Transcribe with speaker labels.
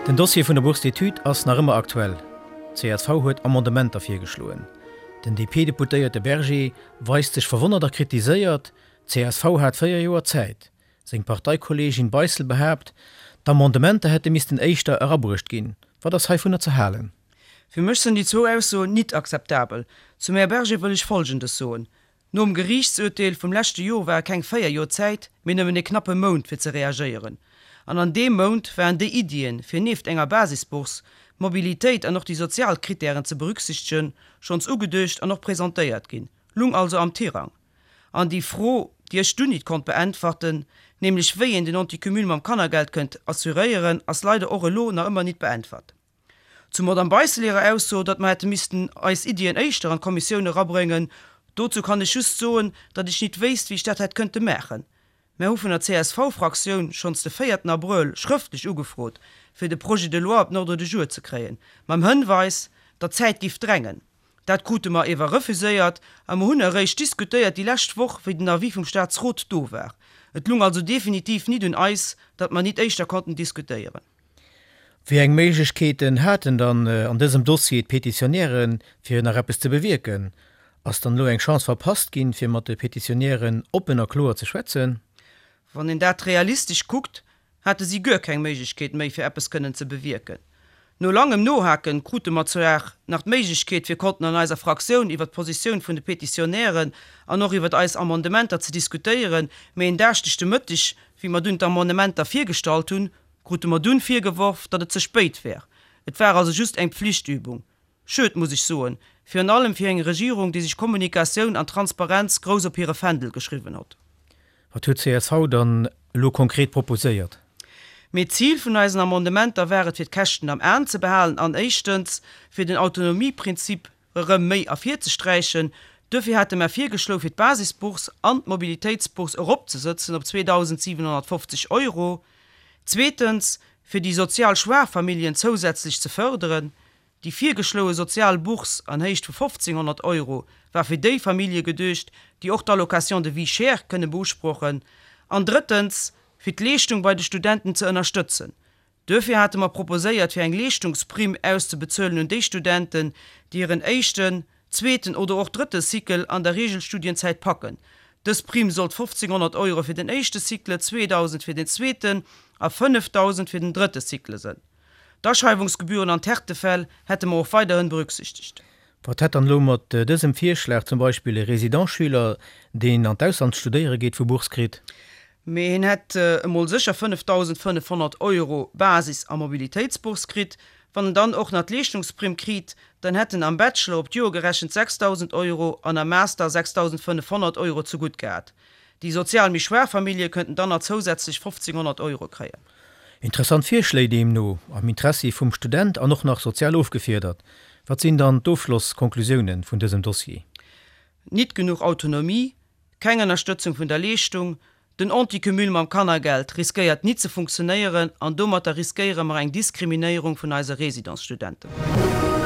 Speaker 1: Den Dossier vun der Bourse d'études ass nach ëmmer aktuell. Csv huet Amendementer virgeschloen. Den DP-Deputéierte Berger weist sech verwonnert a kritiséiert, csv hat 4 Joer Zäit. Seng Parteikolleegin Beissel behaapt, d'Amendementer hätte missten éischter erabruecht ginn. Wat ass heivunner ze halen?
Speaker 2: Fir mech sënn déi zwou Aussoen nit akzeptabel. Zum Här Berger wëll ech Folgendes soen, Nom Geriichtsurteel vum leschte Jor ware keng 4 Jor Zäit, mee nëmmen e knappe Mount fir ze reagéieren. An an deem Mount waren déi Iddien, fir nieft enger Basisbourse, d'Mobilitéit an och déi sozial Krittären ze berücksichtegen, schonns ugeduecht an och presentéiert ginn, lung also am Tirang. An déi Fro, déi ech dunn nit konnt beäntwerten, nämlech wéi een den Anticumul mam Kannergeld kënnt assuréieren, ass leider och elo nach ëmmer nit beäntwert. Zum Madame Beissel hirer Ausso, datt mer hätte missten eis Iddien éischter an d'Kommissioun erabréngen, dozou kann ech just soen, datt ech nit wéisst, wéi ech dat hätt kënnte maachen. Mär hu vun der CSV-Fraktioun schonns de véierten Abrëll schrëftlech ugefrot, fir de Projet de loi op den Ordre du jour ze kréien, mam Hënweis, datt d'Zäit giff drängen. Dat krute mer ewer refuséiert a mer hunn eréischt diskutéiert déi lescht Woch, wéi den Avis vum Statsrot do war. Et lung also definitiv nit un eis, datt mer nit éischter konnten diskutéieren.
Speaker 1: Wéi eng Méiglechkeeten haten dann an dësem Dossier d'Petitionären, fir nach eppes ze bewierken? Ass dann elo eng Chance verpasst ginn, fir mat de Petitionären oppen a kloer ze schwätzen?
Speaker 2: Wann een dat realistesch kuckt, hate si guer keng Méiglechkeet méi, fir eppes kënnen ze bewierken. No langem Nohaken krute mer zwar nach d'Méiglechkeet, fir konnten an eiser Fraktioun iwwert d'Positioun vun de Petitionären an och iwwert eis Amendementer ze diskutéieren, mee en Daaschdeg de Mëtteg, wéi mer dunn d'Amendementer virgestallt hunn, Krute mer dunn virgeworf, datt et ze spéit wär. Et war also just eng Pflichtübung. Schued, muss ech soen, virun allem fir eng Regierung, déi sech Kommunikatioun an Transparenz grouss op hire Fändel geschriwwen hott.
Speaker 1: Wat huet csv dann elo konkret proposéiert?
Speaker 2: Mee d'Zil vun eisen Amendementer war et fir d'Käschten am Aen ze behalen an éischtens fir den Autonomieprinzip erëm méi ervirzesträichen. Duerfir hate mer virgeschloe fir d'Basisbourse an d'Mobilitéitsbourse eropzesëtzen op 2.750 Euro. Zweetens, fir déi sozial schwaach Familljen zousätzlech ze fërderen. Déi virgeschloe sozial Bourse an Héicht vu 1.500 Euro war fir déi Famillje geduecht, déi och d'Allocation de vie chère kënne beusprochen. An drëttens, fir d'Leeschtung bei de Studenten ze ënnerstëtzen. Duerfir hate mer proposéiert, fir eng Leeschtungsprimm auszebezuelen un déi Studenten, déi hiren éischten, zweeten oder och drëtte Cycle an der Regelstudienzäit packen. Dës Primm sollt 1.500 Euro fir den éischte Cycle, 2.000 fir den zweeten a 5.000 fir den drëtte Cycle sënn. D'Aschreiwungsgebühren an d'Härtefäll hätte mer och weiderhin berücksichtegt.
Speaker 1: Wat hätt dann elo mat dësem Virschlag zum Beispill e Résident-Schüler, deen an d'Ausland studéiere geet, vu Bourse kritt?
Speaker 2: Mee hien hätt emol sécher 5.500 Euro Basis a Mobilitéitsbourse kritt. Wann en dann och nach d'Leeschtungsprimm kriit, dann hätt en am Bachelor op d'Joer gerechent 6.000 Euro an am Master 6.500 Euro zegutt gehat. Déi sozial méi schwaach Famillje kënnten dann nach zousätzlech 1.500 Euro kréien.
Speaker 1: Interessant Virschléi deemno, am Interessi vum Student an och nach sozial ofgefiedert. Wat sinn dann d'Ofschlosskonklusiounen vun dësem Dossier?
Speaker 2: Nit genuch Autonomie, Keng Ënnerstëtzung vun der Leeschtung, den Anticumul mam Kannergeld riskéiert nit ze funktionéieren an domatter riskéiere mer eng Diskriminéierung vun eise Résidentsstudenten.